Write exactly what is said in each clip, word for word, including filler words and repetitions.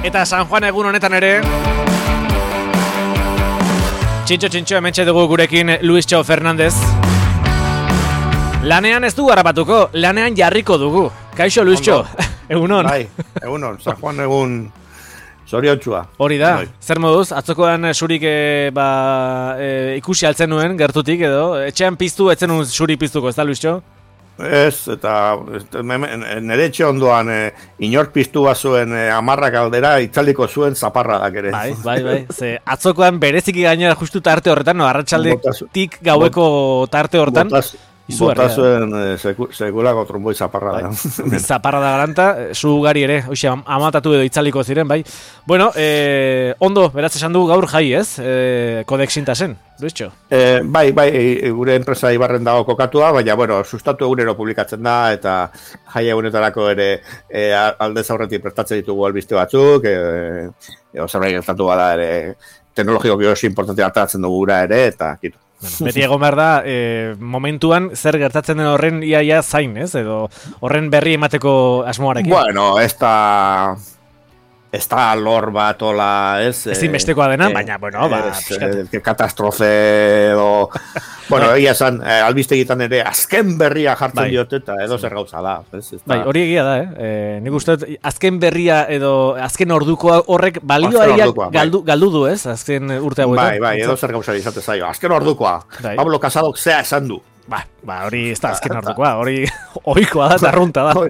Eta San Juan egun honetan ere Txintxo txintxo hementxe dugu gurekin Luistxo Fernandez. Lanean ez du harrapatuko, lanean jarriko dugu. Kaixo Luistxo, egunon. Bai, egunon, San Juan egun zoriotsua. Hori da, bai. Zer moduz, atzokoan surik e, ba, e, ikusi altzen nuen gertutik edo, etxean piztu, etzen nuen suri piztuko, ez da Luistxo? Ez, eta nire etxe ondoan e, inor piztu bazuen e, amarrak aldera itzaldiko zuen zaparradak ere. Bai, bai, bai, ze atzokoan bereziki gainera justu tarte horretan, no, arratsaldetik gaueko tarte horretan. Botaz, bota zuen e, seku, sekulako tromboi zaparrada. Bai. Zaparrada garanta, zu gari ere, hoxe, amatatu edo itzaliko ziren, bai. Bueno, e, ondo, beraz esan du gaur jai, ez? E, Kodek Sintasen, Luistxo? E, bai, bai, e, gure enpresa Ibarren dago kokatua, baina, bueno, sustatu egunero publikatzen da, eta jai egunetarako ere e, aldez aurretik prestatzen ditugu albiste batzuk, e, e, ozerbait gertatu bada ere, teknologiko oso importantea hartatzen dugu gura ere, eta kitu. Bueno, beti egon behar da, e, momentuan zer gertatzen den horren iaia zain, ez? Edo horren berri emateko asmoarekin. Bueno, ez da... Ez da lor bat, ola, ez... Ez inbestekoa dena, eh, baina, bueno, ba... Ez, eh, katastrofe, edo... bueno, egia esan, eh, albiste egiten ere, azken berria jartzen bai. Diote, eta edo zer gauza da. Ez, ez bai, hori egia da, eh? E, nik uste, azken berria edo azken ordukoa horrek balioa galdu, bai. galdu du, ez? Azken urte hauetan. Bai, bai, edo zer gauza izate zaio. Azken ordukoa, bai. Pablo Casadok zea esan du. Ba, ba, hori ez da azken ordukoa, hori oikoa da, zarrunta da.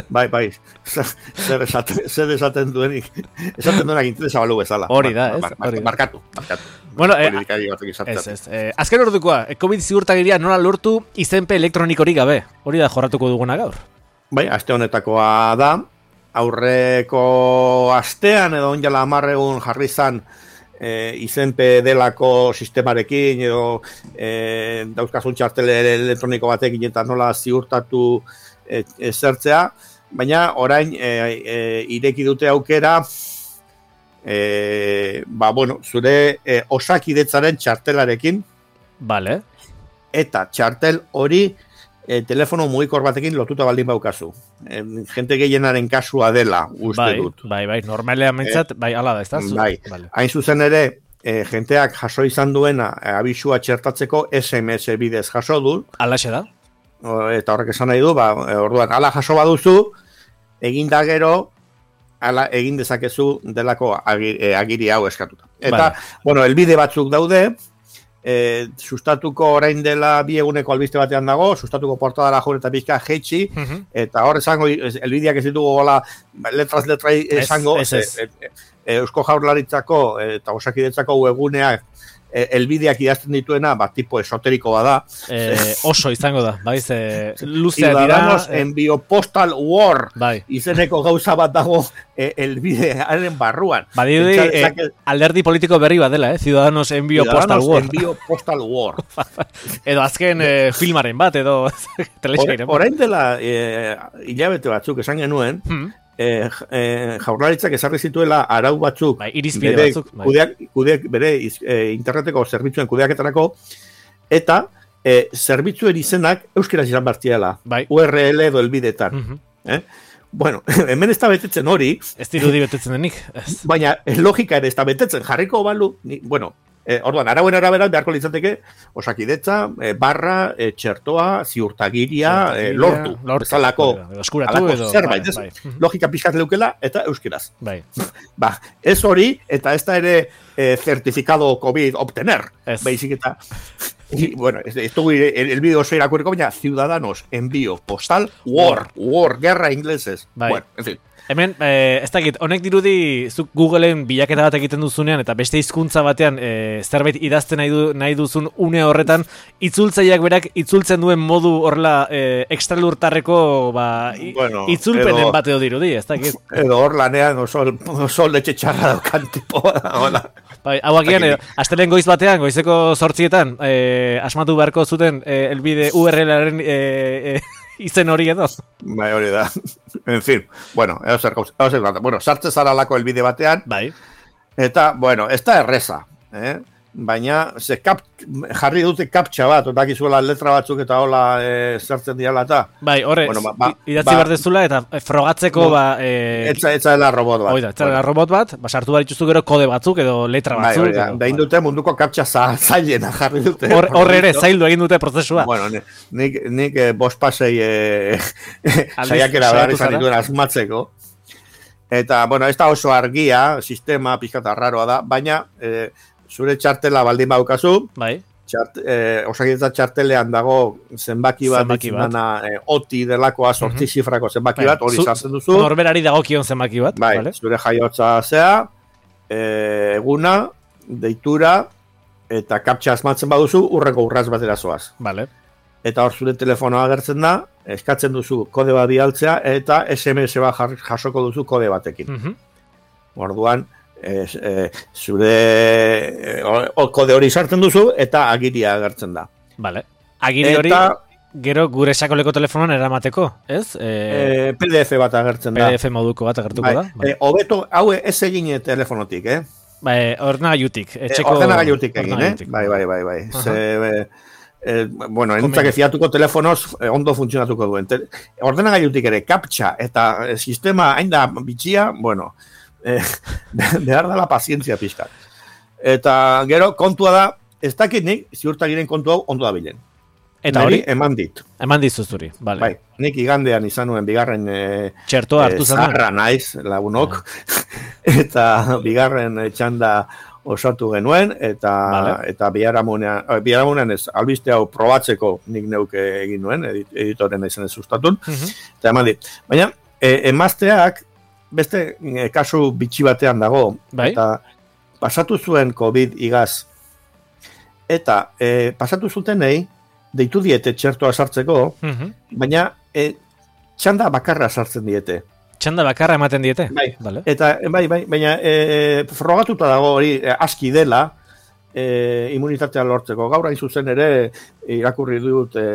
Bai, bai, zer esaten, zer esaten duenik, esaten duenak interesa balu bezala. Hori da, ez? Hori. Markatu, markatu. Bueno, eh, ez, ez. Eh, azken ordukoa, COVID ziurtagiria nola lortu izenpe elektronikorik gabe. Hori da jorratuko duguna gaur. Bai, aste honetakoa da, aurreko astean edo onjala amarregun jarri zan, E, izenpe delako sistemarekin edo e, dauzkazun txartele elektroniko batekin eta nola ziurtatu e, e, zertzea, baina orain e, e, ireki dute aukera e, ba, bueno, zure e, osakidetzaren txartelarekin vale. Eta txartel hori e, telefono mugikor batekin lotuta baldin baukazu. E, jente gehienaren kasua dela, uste bai, dut. Bai, bai, normalean mentzat, e, bai, ala da, ez da? Bai, vale. Hain zuzen ere, e, jenteak jaso izan duena e, abisua txertatzeko S M S bidez jaso du. Alaxe da? O, eta horrek esan nahi du, ba, e, orduan, ala jaso baduzu, egin da gero, ala egin dezakezu delako agiri, e, agiri hau eskatuta. Eta, vale. Bueno, elbide batzuk daude, E, sustatuko orain dela bi eguneko albiste batean dago, sustatuko portadara jure eta pizka jetxi, uh -huh. Eta hor esango, elbideak ez ditugu gola letras letra esango, es, es, es. E, e, Eusko Jaurlaritzako eta Osakidetzako webguneak e, elbideak idazten dituena, bat tipo esoteriko bada. E, oso izango da, bai, ze luzea dira. Ciudadanos envío postal war, bai. Izeneko gauza bat dago e, elbidearen barruan. Badiri, e, alderdi politiko berri bat dela, eh? Ciudadanos envío postal war. Envío postal war. Edo azken e, filmaren bat, edo telexairen bat. Orain dela e, hilabete batzuk esan genuen, hmm. E, e, jaurlaritzak ezarri zituela arau batzuk, bai, irizpide bere, batzuk bai. kudeak, kudeak, bere e, interneteko zerbitzuen kudeaketarako, eta e, zerbitzuen izenak euskeraz izan bartziela, bai. U R L edo elbidetan. Uh-huh. eh? Bueno, hemen ez da betetzen hori. Ez dirudi betetzen denik. Baina logika ere ez da betetzen, jarriko balu, ni, bueno, E, orduan, arauen arabera beharko litzateke Osakidetza, e, barra, e, txertoa, ziurtagiria, e, lortu. Bezalako zerbait, ez? Bai. Logika pixkat leukela eta euskeraz. Bai. Ba, ez hori, eta ez da ere e, certificado COVID obtener. Ez. Baizik eta... Y, bueno, esto el, el vídeo soy la cuerda, baina Ciudadanos envío postal war, war, guerra ingleses. Bai. Bueno, en fin. Hemen, eh, ez dakit, honek dirudi zuk Googleen bilaketa bat egiten duzunean eta beste hizkuntza batean eh, zerbait idazten nahi, du, nahi duzun une horretan, itzultzaileak berak itzultzen duen modu horrela eh, ekstralurtarreko ba, bueno, itzulpenen edo, bat edo dirudi, ez dakit. Edo hor lanean oso, oso letxe txarra daukan tipo. Bai, hau agian, eh, astelen goiz batean, goizeko zortzietan, eh, asmatu beharko zuten eh, elbide U R L-aren... Eh, eh, izen hori edo. Bai, hori da. En fin, bueno, edo zer, bueno, sartze zara lako elbide batean. Bai. Eta, bueno, ez da erreza. Eh? baina ze kap, jarri dute kaptxa bat, otakizuela letra batzuk eta hola e, zertzen diala eta. Bai, horre, bueno, ba, ba, idatzi ba, behar dezula eta frogatzeko no, ba... E, etza, etza dela robot bat. Oida, etza dela robot bat, ba, sartu behar dituztu gero kode batzuk edo letra batzuk. Bai, oida, behin dute munduko kaptxa zailena jarri dute. Horre or ere, zaildu egin dute prozesua. Bueno, nik, nik eh, bost pasei eh, saiakera behar izan dituen asmatzeko. Eta, bueno, ez da oso argia, sistema pizkata raroa da, baina... Eh, zure txartela baldin baukazu, bai. Txart, eh, osakidetza txartelean dago zenbaki bat, zenbaki bat. Eh, oti delakoa sortzi uh-huh. zifrako zenbaki bai. Bat, hori sartzen duzu. Norberari dagokion zenbaki bat. Bai, vale. Zure jaiotza zea, eh, eguna, deitura, eta kaptxa asmatzen baduzu, urreko urraz batera zoaz. Vale. Eta hor zure telefonoa agertzen da, eskatzen duzu kode bat bialtzea, eta S M S bat jasoko duzu kode batekin. Uh-huh. Orduan, Ez, e, zure e, o, kode hori sartzen duzu eta agiria agertzen da. Vale. Agiri hori gero gure sakoleko telefonoan eramateko, ez? E, e, P D F bat agertzen da. P D F moduko bat agertuko bai. Da. Bai. E, obeto, hau ez egin telefonotik, eh? Bai, ordenagailutik. Etxeko... E, ordenagailutik egin, eh? Bai, bai, bai, bai. Uh-huh. Ze, e, bueno, entzak fiatuko telefonoz eh, ondo funtzionatuko duen. Te, ordenagailutik ere kaptxa eta e, sistema hain da bitxia, bueno... Eh, behar da la pazientzia pixkat. Eta gero kontua da, ez dakit nik ziurtagiren kontu hau ondo da bilen. Eta hori? Eman dit. Eman dizuzuri, bale. Bai, nik igandean izan nuen bigarren eh, txertoa hartu eh, zarra naiz lagunok, eta bigarren txanda osatu genuen, eta vale. Eta biharamunean, biharamunean ez, albiste hau probatzeko nik neuke egin nuen, edit, editoren izan ez sustatun, uh-huh. Eta eman dit. Baina, eh, emazteak beste e, kasu bitxi batean dago, bai? Eta pasatu zuen COVID igaz, eta e, pasatu zutenei, deitu diete txertoa sartzeko, uh-huh. Baina e, txanda bakarra sartzen diete. Txanda bakarra ematen diete? Bai, vale. Eta bai, bai, baina e, frogatuta dago hori e, aski dela, e, immunitatea lortzeko. Gaur hain zuzen ere, irakurri dut e,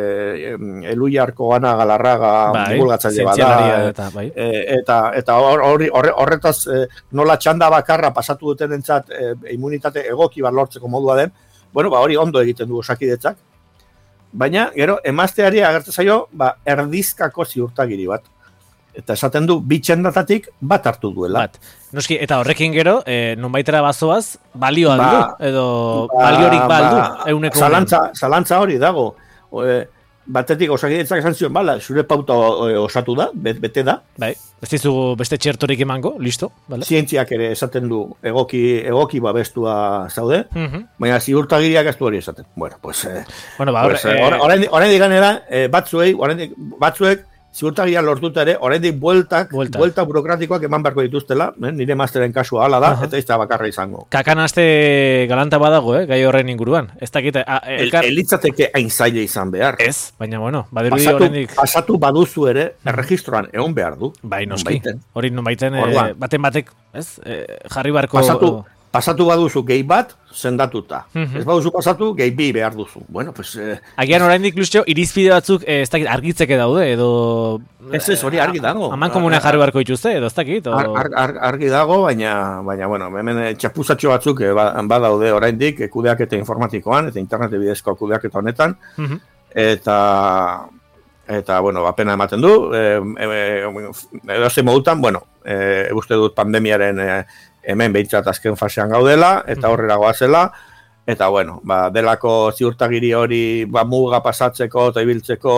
Eluiarko Ana Galarraga bai, divulgatzaile bada. Eta, bai. e, eta, eta hori, horretaz e, nola txanda bakarra pasatu duten entzat e, immunitate egoki bat lortzeko modua den, bueno, ba, hori ondo egiten du osakidetzak. Baina, gero, emazteari agertzen zaio, ba, erdizkako ziurtagiri bat. Eta esaten du, bitxendatatik bat hartu duela. Bat. Noski, eta horrekin gero, e, nonbaitera bazoaz, balio aldu, ba, edo ba, baliorik baldu, ba, euneko. Zalantza, zalantza hori dago. O, e, batetik osakidetzak esan zion, bala, zure pauta osatu da, bete da. Bai, ez dizugu beste txertorik emango, listo. Vale. Zientziak ere esaten du, egoki, egoki babestua zaude, uh-huh. Baina ziurtagiriak ez du hori esaten. Bueno, pues... Eh, bueno, ba, pues, eh, orain, orain diganera, eh, batzuei, orain batzuek, ziurtagia lortuta ere, oraindik bueltak, buelta. buelta burokratikoak eman beharko dituztela, eh? Nire masteren kasua hala da, uh-huh. Eta ez da bakarra izango. Kakanaste galanta badago, eh? Gai horren inguruan. Ez dakite, elkar... El, elitzateke hain zaila izan behar. Ez, baina bueno, badirudi oraindik... Pasatu baduzu ere, erregistroan egon behar du. Bai, noski. Hori non baiten, eh, baten batek, ez? Eh, jarri barko... Pasatu, pasatu baduzu gehi bat, sendatuta. Uh-huh. Ez baduzu pasatu, gehi bi behar duzu. Bueno, pues... Eh, Agian oraindik Lucio, irizpide batzuk eh, ez dakit argitzeke daude, edo... Ez ez, hori argi dago. Aman komunean jarri barko dituzte, edo ez dakit? O... Ar, ar, ar, argi dago, baina, baina bueno, hemen txapuzatxo batzuk eh, badaude oraindik, kudeaketa informatikoan, eta internet bidezko kudeaketa honetan, uh-huh. Eta... Eta, bueno, apena ematen du, eh, eh, edo ze modutan, bueno, eh, uste dut pandemiaren... Eh, hemen behintzat azken fasean gaudela, eta horrela goazela, eta bueno, ba, delako ziurtagiri hori ba, muga pasatzeko eta ibiltzeko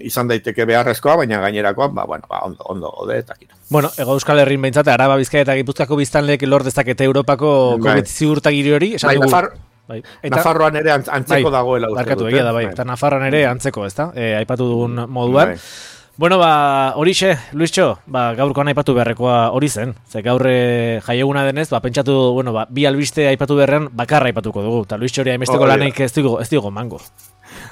izan daiteke beharrezkoa, baina gainerakoa, ba, bueno, ba, ondo, ondo, ode, eta kito. Bueno, Ego Euskal Herrin behintzat, Araba, Bizkaia eta Gipuzkoako biztanleek lor dezakete Europako bai. Ziurtagiri hori, esan bai, dugu... Nafar... Bai. Eta, Nafarroan ere antzeko bai, dagoela. Barkatu, egia da, bai. Eta Nafarroan ere antzeko, ezta? E, aipatu dugun moduan. Bai. Bueno, ba, horixe, Luisxo, ba, gaurkoan aipatu beharrekoa hori zen. Ze gaur jaieguna denez, ba, pentsatu, bueno, ba, bi albiste aipatu beharrean bakarra aipatuko dugu. Eta Luisxo hori haimesteko lanik ez digo, ez digo mango.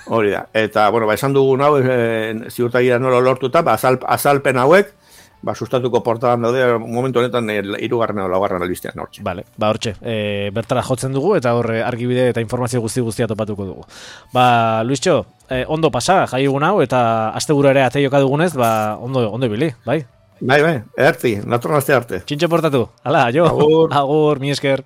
Hori da. Eta, bueno, ba, esan dugun hau, e, ziurtagira nola lortuta, ba, azal, azalpen hauek, ba, sustatuko portadan daude, momentu honetan hirugarren edo laugarren albistean hortxe. Vale, ba, hortxe, e, bertara jotzen dugu, eta horre argibide eta informazio guzti guztia topatuko dugu. Ba, Luisxo, eh, ondo pasa, jai egun hau, eta asteburu ere ate joka dugunez, ba, ondo, ondo ibili, bai? Bai, bai, erti, natorren aste arte. Txintxo portatu, hala, jo, agur, agur mi esker.